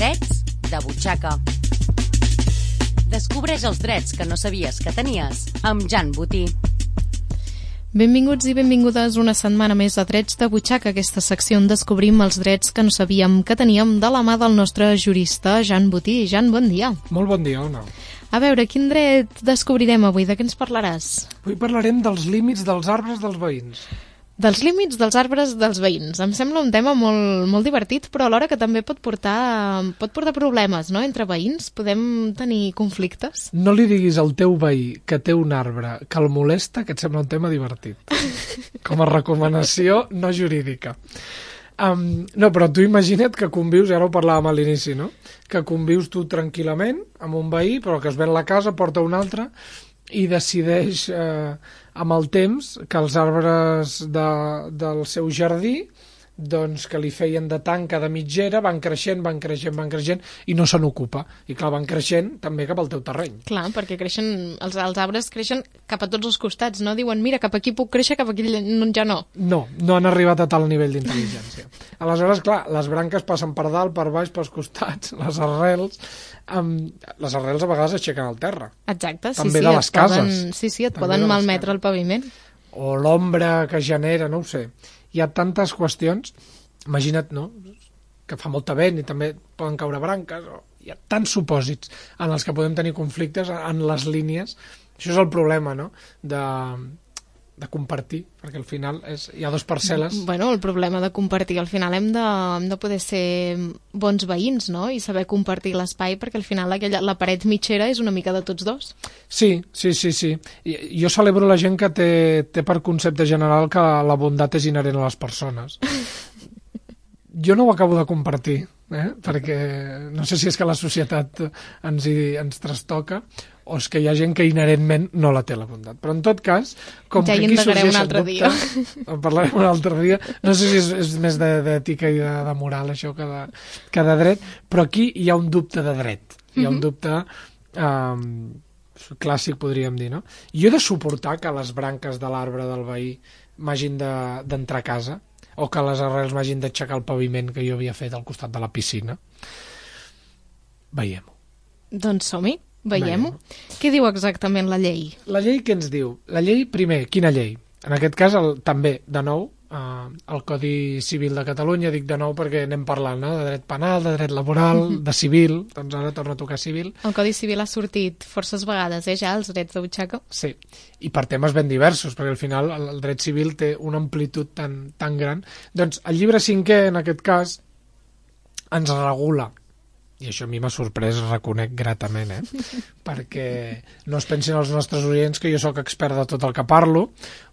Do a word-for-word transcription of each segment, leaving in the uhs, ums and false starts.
Drets de butxaca. Descobreix els drets que no sabies que tenies amb Jan Botí. Benvinguts i benvingudes una setmana més a Drets de butxaca, aquesta secció on descobrim els drets que no sabíem que teníem de la mà del nostre jurista Jan Botí. Jan, bon dia. Molt bon dia, Ona. A veure, quin dret descobrirem avui? De què ens parlaràs? Avui parlarem dels límits dels arbres dels veïns. Dels límits dels arbres dels veïns. Em sembla un tema molt, molt divertit, però alhora que també pot portar, pot portar problemes, no?, entre veïns. Podem tenir conflictes. No li diguis al teu veí que té un arbre que el molesta, que et sembla un tema divertit. Com a recomanació no jurídica. Um, no, però tu imagina't que convius, i ara ho parlàvem a l'inici, no?, que convius tu tranquil·lament amb un veí, però que es ven la casa, porta un altre, i decideix eh, amb el temps que els arbres de, del seu jardí, doncs que li feien de tanca de mitgera, van creixent, van creixent, van creixent, i no se n'ocupa. I clar, van creixent també cap al teu terreny. Clar, perquè creixen, els, els arbres creixen cap a tots els costats, no? Diuen, mira, cap aquí puc créixer, cap aquí no, ja no. No, no han arribat a tal nivell d'intel·ligència. Aleshores, clar, les branques passen per dalt, per baix, pels costats, les arrels... Um, les arrels a vegades aixequen al terra. Exacte, sí, també sí. de les cases. Poden, sí, sí, et també poden malmetre el paviment. O l'ombra que genera, no ho sé. Hi ha tantes qüestions, imagina't, no?, que fa molta vent i també poden caure branques, o hi ha tants supòsits en els que podem tenir conflictes en les línies. Això és el problema, no?, de... de compartir, perquè al final és, hi ha dos parcel·les. Bueno, el problema de compartir, al final hem de, hem de poder ser bons veïns, no?, i saber compartir l'espai, perquè al final aquella, la paret mitgera és una mica de tots dos. Sí, sí, sí, sí. I, jo celebro la gent que té, té per concepte general que la bondat és inherent a les persones. Jo no ho acabo de compartir, eh? Perquè no sé si és que la societat ens, hi, ens trastoca, o és que hi ha gent que inherentment no la té, la bondat. Però en tot cas, com ja que aquí sorgeixen un altre dubtes, dia. En parlarem un altre dia, no sé si és, és més d'ètica i de, de moral això que de, que de dret, però aquí hi ha un dubte de dret, hi ha un dubte um, clàssic, podríem dir, no? Jo he de suportar que les branques de l'arbre del veí m'hagin d'entrar de, a casa, o que les arrels m'hagin d'aixecar el paviment que jo havia fet al costat de la piscina. Veiem-ho. Doncs som-hi. Veiem-ho. Què diu exactament la llei? La llei què ens diu? La llei, primer, quina llei? En aquest cas, el, també, de nou, eh, el Codi Civil de Catalunya, dic de nou perquè anem parlant, no?, de dret penal, de dret laboral, uh-huh. de civil, doncs ara torna a tocar civil. El Codi Civil ha sortit forces vegades, eh, ja, els drets de butxaca? Sí, i per temes ben diversos, perquè al final el, el dret civil té una amplitud tan, tan gran. Doncs el llibre cinquè, en aquest cas, ens regula, i això a mi m'ha sorprès, reconec gratament, eh? Perquè no es pensin els nostres oients que jo sóc expert de tot el que parlo,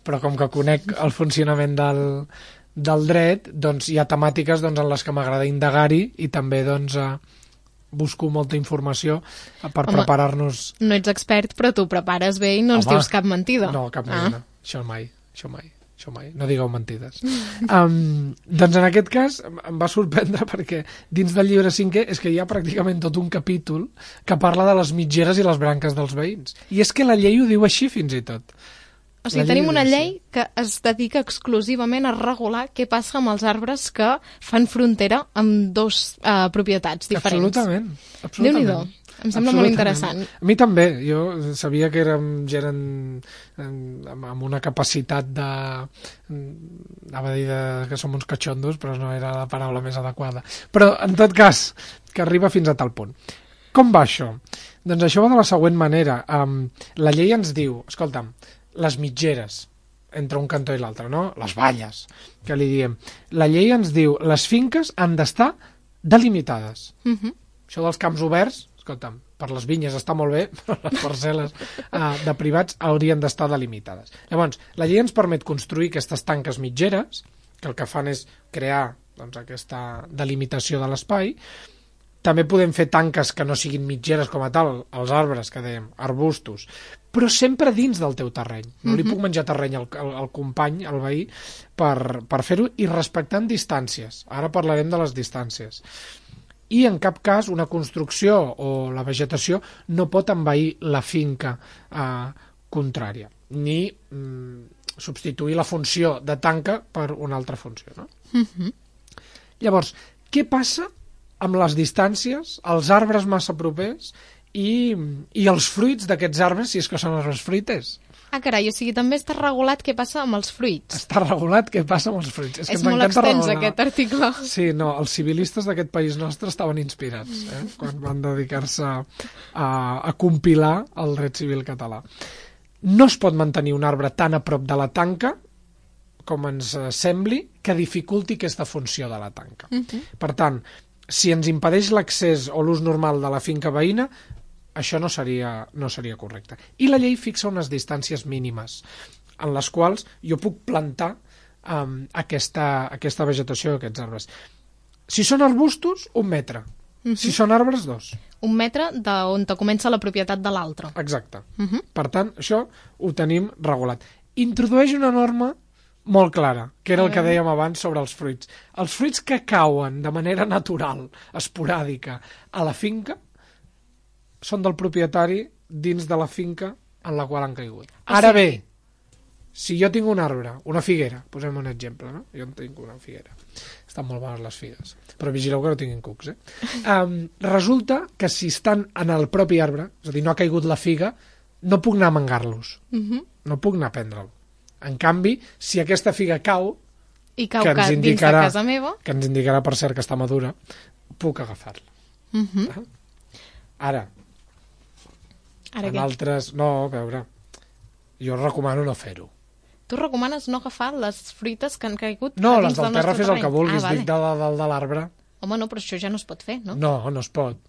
però com que conec el funcionament del, del dret, doncs hi ha temàtiques doncs, en les que m'agrada indagar-hi i també doncs, eh, busco molta informació per preparar-nos... No ets expert, però tu prepares bé i no ens Home, dius cap mentida. No, cap mentida. Ah. Això mai, això mai. Això mai, no digueu mentides. Um, doncs en aquest cas em va sorprendre perquè dins del llibre cinquè és que hi ha pràcticament tot un capítol que parla de les mitgeres i les branques dels veïns. I és que la llei ho diu així fins i tot. O sigui, tenim una llei que es dedica exclusivament a regular què passa amb els arbres que fan frontera amb dos uh, propietats diferents. Absolutament, absolutament. Déu-n'hi-do. Em sembla molt interessant. A mi també. Jo sabia que érem gent amb una capacitat de... anava a dir de, que som uns catxondos, però no era la paraula més adequada. Però, en tot cas, que arriba fins a tal punt. Com va això? Doncs això va de la següent manera. Um, la llei ens diu, escolta'm, les mitgeres entre un cantó i l'altre, no? Les valles, que li diem. La llei ens diu, les finques han d'estar delimitades. Uh -huh. Això dels camps oberts, escolta'm, per les vinyes està molt bé, però les parcel·les uh, de privats haurien d'estar delimitades. Llavors, la llei ens permet construir aquestes tanques mitgeres, que el que fan és crear doncs, aquesta delimitació de l'espai. També podem fer tanques que no siguin mitgeres com a tal, els arbres, que dèiem, arbustos, però sempre dins del teu terreny. No li puc menjar terreny al, al, al company, al veí, per, per fer-ho, i respectant distàncies. Ara parlarem de les distàncies. I en cap cas una construcció o la vegetació no pot envair la finca eh, contrària, ni mm, substituir la funció de tanca per una altra funció, no? Uh-huh. Llavors, què passa amb les distàncies, els arbres massa propers i, i els fruits d'aquests arbres, si és que són arbres fruiters. Ah, carai, o sigui, també està regulat què passa amb els fruits. Està regulat què passa amb els fruits. És, és que molt extens, regular. Aquest article. Sí, no, els civilistes d'aquest país nostre estaven inspirats eh, quan van dedicar-se a, a compilar el dret civil català. No es pot mantenir un arbre tan a prop de la tanca com ens sembli que dificulti aquesta funció de la tanca. Uh-huh. Per tant, si ens impedeix l'accés o l'ús normal de la finca veïna, això no seria, no seria correcte. I la llei fixa unes distàncies mínimes en les quals jo puc plantar um, aquesta, aquesta vegetació d'aquests arbres. Si són arbustos, un metre. Uh-huh. Si són arbres, dos. Un metre d'on comença la propietat de l'altre. Exacte. Uh-huh. Per tant, això ho tenim regulat. Introdueix una norma molt clara, que era el que dèiem abans sobre els fruits. Els fruits que cauen de manera natural, esporàdica, a la finca, són del propietari dins de la finca en la qual han caigut. Ara bé, si jo tinc un arbre, una figuera, posem un exemple, no? Jo en tinc una figuera. Estan molt bones les figues, però vigileu que no tinguin cucs, eh? Um, resulta que si estan en el propi arbre, és a dir, no ha caigut la figa, no puc anar a mangar-los. Uh-huh. No puc anar a prendre'l. En canvi, si aquesta figa cau, i cau que ens indicarà, dins de casa meva, que ens indicarà per cert que està madura, puc agafar-la. Uh-huh. Ara, Ara en altres... No, a veure, jo recomano no fer-ho. Tu recomanes no agafar les fruites que han caigut no, a dins del, del terra fes el que vulguis, ah, vale. dic de, de, de l'arbre. Home, no, però això ja no es pot fer, no? No, no es pot.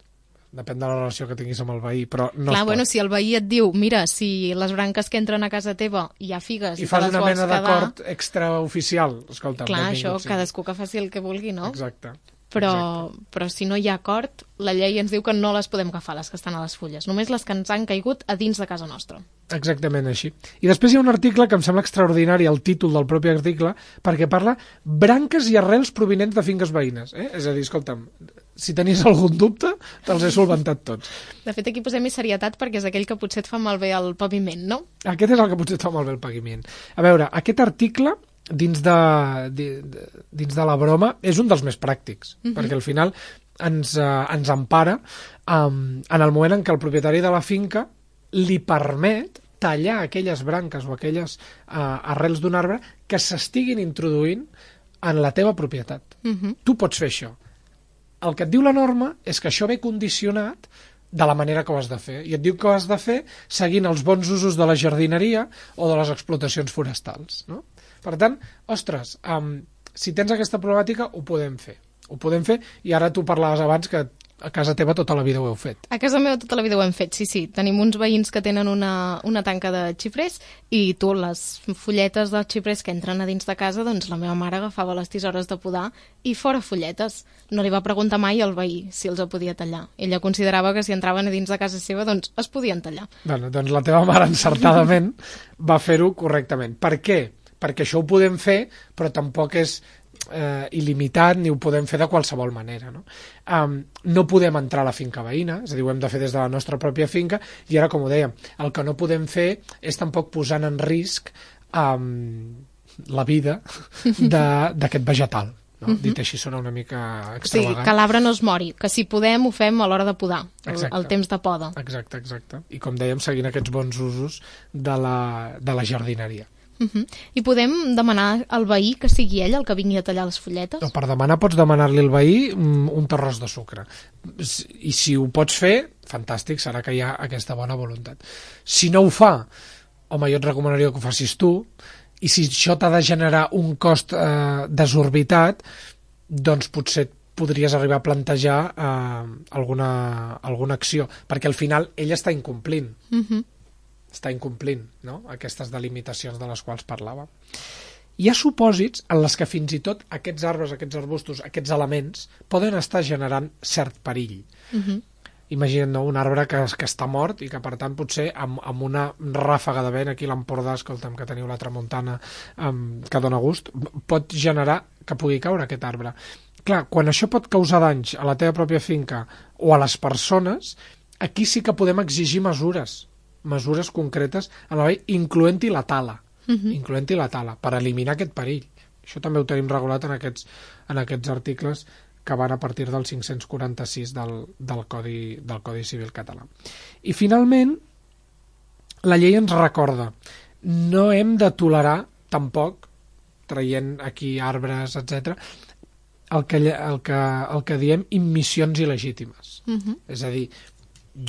Depèn de la relació que tinguis amb el veí, però no Clar, es pot. Bueno, si el veí et diu, mira, si les branques que entren a casa teva hi ha figues i, i fas te les una vols mena quedar... d'acord extraoficial, escolta. Clar, això, sí. Cadascú que faci el que vulgui, no? Exacte. Però, Exacte. però si no hi ha acord, la llei ens diu que no les podem agafar, les que estan a les fulles, només les que ens han caigut a dins de casa nostra. Exactament així. I després hi ha un article que em sembla extraordinari, el títol del propi article, perquè parla branques i arrels provinents de finques veïnes. Eh? És a dir, escolta'm, si tenies algun dubte, te'ls he solventat tots. De fet, aquí posem-hi serietat perquè és aquell que potser et fa malbé el paviment, no? Aquest és el que potser et fa malbé el paviment. A veure, aquest article... Dins de, dins de la broma, és un dels més pràctics, uh-huh. perquè al final ens, uh, ens empara um, en el moment en què el propietari de la finca li permet tallar aquelles branques o aquelles uh, arrels d'un arbre que s'estiguin introduint en la teva propietat. Uh-huh. Tu pots fer això. El que et diu la norma és que això ve condicionat de la manera que ho has de fer. I et diu que ho has de fer seguint els bons usos de la jardineria o de les explotacions forestals, no? Per tant, ostres, um, si tens aquesta problemàtica, ho podem fer. Ho podem fer, i ara tu parlaves abans que a casa teva tota la vida ho heu fet. A casa meva tota la vida ho hem fet, sí, sí. Tenim uns veïns que tenen una, una tanca de xiprers i tu, les fulletes dels xiprers que entren a dins de casa, doncs la meva mare agafava les tisores de podar i fora fulletes. No li va preguntar mai al veí si els podia tallar. Ella considerava que si entraven a dins de casa seva, doncs es podien tallar. Bueno, doncs la teva mare encertadament va fer-ho correctament. Per què? Perquè això ho podem fer, però tampoc és eh, il·limitat ni ho podem fer de qualsevol manera. No? Um, no podem entrar a la finca veïna, és a dir, ho hem de fer des de la nostra pròpia finca, i ara, com ho dèiem, el que no podem fer és tampoc posant en risc um, la vida d'aquest vegetal. No? Uh-huh. Dit així sona una mica extravagant. Sí, que l'arbre no es mori, que si podem ho fem a l'hora de podar, el, el temps de poda. Exacte, exacte. I com dèiem, seguint aquests bons usos de la, de la jardineria. Uh-huh. I podem demanar al veí que sigui ell el que vingui a tallar les fulletes? No, per demanar pots demanar-li al veí un terròs de sucre. I si ho pots fer, fantàstic, serà que hi ha aquesta bona voluntat. Si no ho fa, home, jo et recomanaria que ho facis tu, i si això t'ha de generar un cost eh, desorbitat, doncs potser podries arribar a plantejar eh, alguna, alguna acció, perquè al final ell està incomplint. Uh-huh. està incomplint, no? Aquestes delimitacions de les quals parlava. Hi ha supòsits en les que fins i tot aquests arbres, aquests arbustos, aquests elements poden estar generant cert perill. Uh-huh. Imagina't, no? Un arbre que, que està mort i que, per tant, potser amb, amb una ràfaga de vent, aquí a l'Empordà, escolta'm, que teniu la tramuntana um, que dona gust, pot generar que pugui caure aquest arbre. Clar, quan això pot causar danys a la teva pròpia finca o a les persones, aquí sí que podem exigir mesures, mesures concretes, a la vegada, incloent-hi la tala, uh-huh. incloent-hi la tala, per eliminar aquest perill. Això també ho tenim regulat en aquests, en aquests articles que van a partir del cinc-cents quaranta-sis del, del, Codi, del Codi Civil català. I finalment, la llei ens recorda, no hem de tolerar tampoc, traient aquí arbres, etcètera, el que, el, que, el que diem immissions il·legítimes. Uh-huh. És a dir,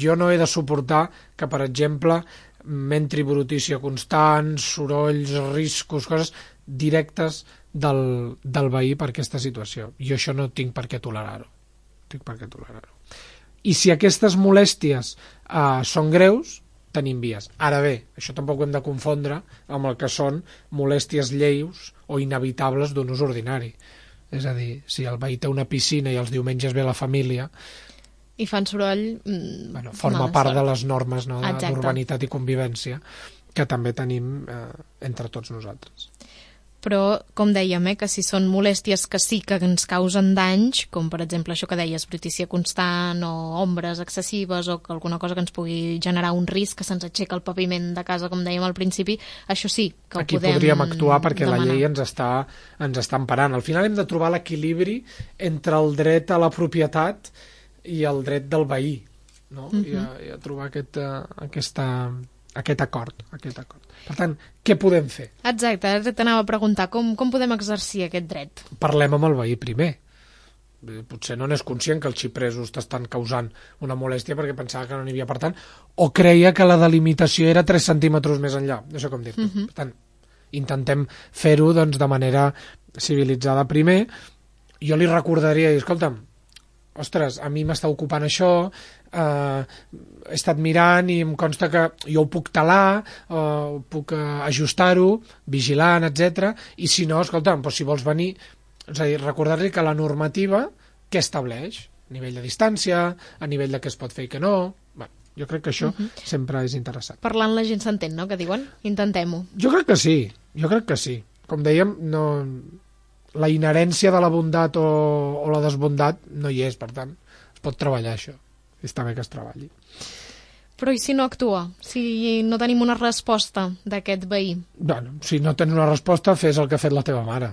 jo no he de suportar que, per exemple, m'entri brutícia constant, sorolls, riscos, coses directes del, del veí per aquesta situació. Jo això no tinc per què tolerar-ho. Tinc per què tolerar-ho. I si aquestes molèsties eh, són greus, tenim vies. Ara bé, això tampoc ho hem de confondre amb el que són molèsties lleus o inevitables d'un ús ordinari. És a dir, si el veí té una piscina i els diumenges ve la família... I fan soroll... Mm, bueno, forma part sort. de les normes, no, d'urbanitat i convivència que també tenim eh, entre tots nosaltres. Però, com dèiem, eh, que si són molèsties que sí que ens causen danys, com per exemple això que deies, brutícia constant o ombres excessives o que alguna cosa que ens pugui generar un risc, que se'ns aixeca el paviment de casa, com dèiem al principi, això sí que ho Aquí podem podríem actuar perquè demanar. La llei ens està, ens està emparant. Al final hem de trobar l'equilibri entre el dret a la propietat i el dret del veí, no? Uh-huh. I, a, i a trobar aquest, uh, aquesta... aquest acord, aquest acord. Per tant, què podem fer? Exacte, ara t'anava a preguntar com, com podem exercir aquest dret? Parlem amb el veí primer. Potser no n'és conscient que els xipresos t'estan causant una molèstia perquè pensava que no n'hi havia, per tant, o creia que la delimitació era tres centímetres més enllà. No sé com dir-ho. Uh-huh. Per tant, intentem fer-ho doncs, de manera civilitzada primer. Jo li recordaria, escolta'm, ostres, a mi m'està ocupant això, eh, he estat mirant i em consta que jo ho puc talar, eh, puc eh, ajustar-ho, vigilant, etcètera. I si no, escolta'm, doncs si vols venir, és a dir, recordar-li que la normativa què estableix? A nivell de distància, a nivell de què es pot fer i què no... Bé, jo crec que això uh-huh. sempre és interessant. Parlant la gent s'entén, no?, que diuen? Intentem-ho. Jo crec que sí, jo crec que sí. Com dèiem, no... la inherència de la bondat o, o la desbondat no hi és, per tant, es pot treballar això. Està bé que es treballi. Però i si no actua? Si no tenim una resposta d'aquest veí? Bueno, si no tens una resposta, fes el que ha fet la teva mare.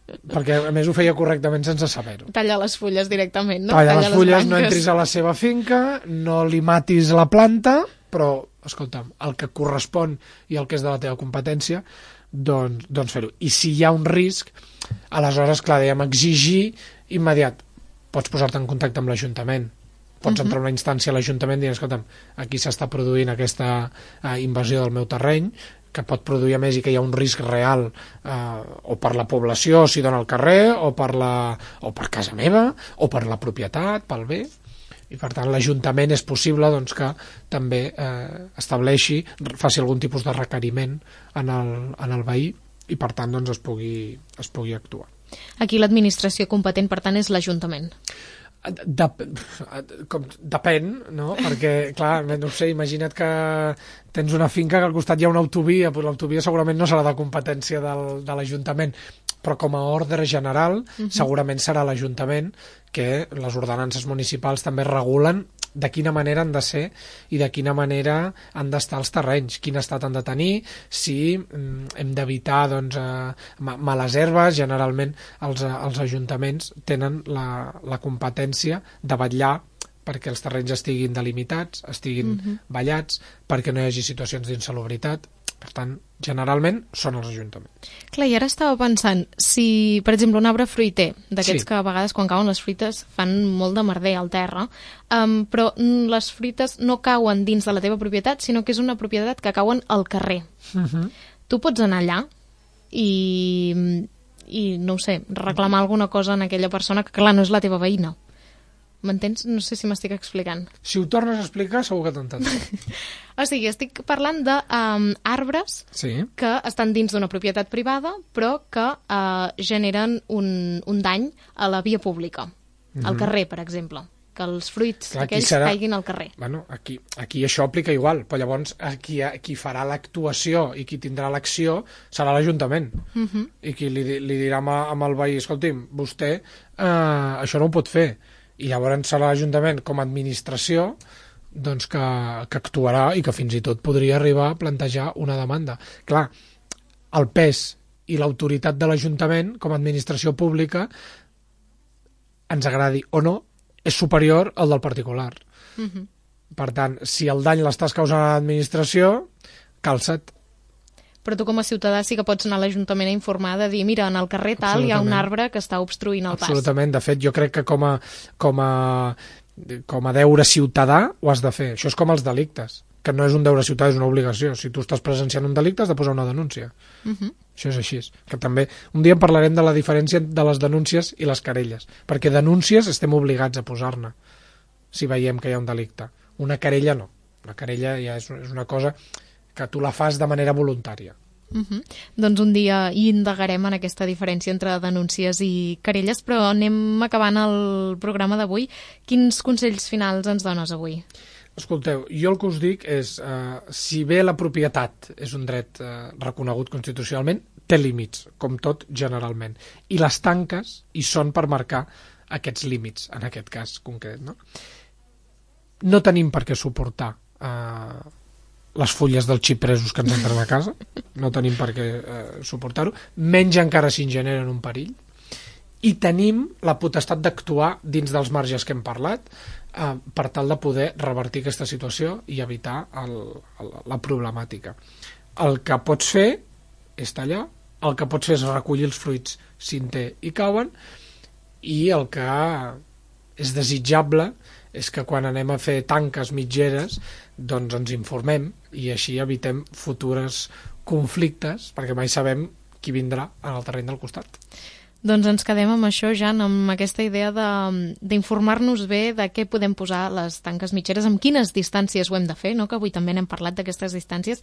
Perquè, a més, ho feia correctament sense saber-ho. Talla les fulles directament, no? Talla, Talla les fulles, les no entris a la seva finca, no li matis la planta, però, escolta'm, el que correspon i el que és de la teva competència, doncs, doncs fer-ho. I si hi ha un risc, aleshores, clar, dèiem, exigir immediat. Pots posar-te en contacte amb l'Ajuntament, pots uh-huh. entrar a una instància a l'Ajuntament i dir, escolta'm, aquí s'està produint aquesta eh, invasió del meu terreny, que pot produir a més i que hi ha un risc real eh, o per la població si dona al carrer, o per, la, o per casa meva, o per la propietat, pel bé. I per tant l'Ajuntament és possible doncs, que també eh, estableixi, faci algun tipus de requeriment en el, en el veí i per tant doncs, es, pugui, es pugui actuar. Aquí l'administració competent per tant és l'Ajuntament. Dep com, depèn, no? Perquè, clar, no sé, imagina't que tens una finca que al costat hi ha una autovia, però l'autovia segurament no serà de competència del, de l'Ajuntament, però com a ordre general uh-huh. segurament serà l'Ajuntament que les ordenances municipals també regulen de quina manera han de ser i de quina manera han d'estar els terrenys, quin estat han de tenir, si mm, hem d'evitar doncs, eh, males herbes. Generalment els, els ajuntaments tenen la, la competència de vetllar perquè els terrenys estiguin delimitats, estiguin uh-huh. ballats, perquè no hi hagi situacions d'insalubritat. Per tant, generalment són els ajuntaments. Clar, i ara estava pensant, si, per exemple, un arbre fruiter, d'aquests sí. que a vegades quan cauen les fruites fan molt de merder al terra, um, però les fruites no cauen dins de la teva propietat, sinó que és una propietat que cauen al carrer. Uh-huh. Tu pots anar allà i, i, no ho sé, reclamar alguna cosa en aquella persona que, clar, no és la teva veïna. M'entens? No sé si m'estic explicant. Si ho tornes a explicar, segur que t'entendré. O sigui, estic parlant d'arbres um, sí. que estan dins d'una propietat privada, però que uh, generen un, un dany a la via pública, mm-hmm. al carrer, per exemple. Que els fruits Clar, aquells serà... caiguin al carrer. Bueno, aquí, aquí això aplica igual, però llavors qui, qui farà l'actuació i qui tindrà l'acció serà l'Ajuntament. Mm-hmm. I qui li, li dirà amb, amb el veí, escolti'm, vostè uh, això no ho pot fer. I llavors serà l'Ajuntament com a administració doncs que, que actuarà i que fins i tot podria arribar a plantejar una demanda. Clar, el pes i l'autoritat de l'Ajuntament com a administració pública ens agradi o no, és superior al del particular. Uh-huh. Per tant, si el dany l'estàs causant a l'administració, calça't. Però tu com a ciutadà sí que pots anar a l'Ajuntament a informar de dir, mira, en el carrer tal hi ha un arbre que està obstruint el pas. Absolutament. De fet, jo crec que com a, com a, com a deure ciutadà ho has de fer. Això és com els delictes, que no és un deure ciutadà, és una obligació. Si tu estàs presenciant un delicte, has de posar una denúncia. Uh-huh. Això és així. Que també, un dia en parlarem de la diferència de les denúncies i les querelles, perquè denúncies estem obligats a posar-ne, si veiem que hi ha un delicte. Una querella no. Una querella ja és, és una cosa que tu la fas de manera voluntària. Uh-huh. Doncs un dia hi indagarem en aquesta diferència entre denúncies i querelles, però anem acabant el programa d'avui. Quins consells finals ens dones avui? Escolteu, jo el que us dic és, eh, si bé la propietat és un dret eh, reconegut constitucionalment, té límits, com tot generalment. I les tanques hi són per marcar aquests límits, en aquest cas concret, no? No tenim per què suportar eh, les fulles dels xipresos que ens entren a casa, no tenim per què eh, suportar-ho, menys encara si en generen un perill, i tenim la potestat d'actuar dins dels marges que hem parlat eh, per tal de poder revertir aquesta situació i evitar el, el, la problemàtica. El que pots fer és tallar, el que pots fer és recollir els fruits si en té i cauen, i el que és desitjable és que quan anem a fer tanques mitgeres doncs ens informem i així evitem futures conflictes, perquè mai sabem qui vindrà en el terreny del costat. Doncs ens quedem amb això, Jan, amb aquesta idea d'informar-nos bé de què podem posar les tanques mitgeres, amb quines distàncies ho hem de fer, no? Que avui també n'hem parlat d'aquestes distàncies,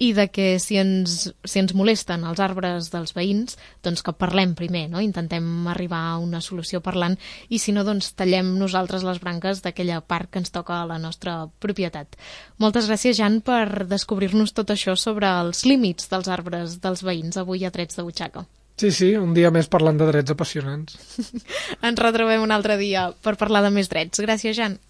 i de que si ens, si ens molesten els arbres dels veïns, doncs que parlem primer, no? Intentem arribar a una solució parlant, i si no, doncs tallem nosaltres les branques d'aquella part que ens toca a la nostra propietat. Moltes gràcies, Jan, per descobrir-nos tot això sobre els límits dels arbres dels veïns avui a Trets de Butxaca. Sí, sí, un dia més parlant de drets apassionants. Ens retrobem un altre dia per parlar de més drets. Gràcies, Jan.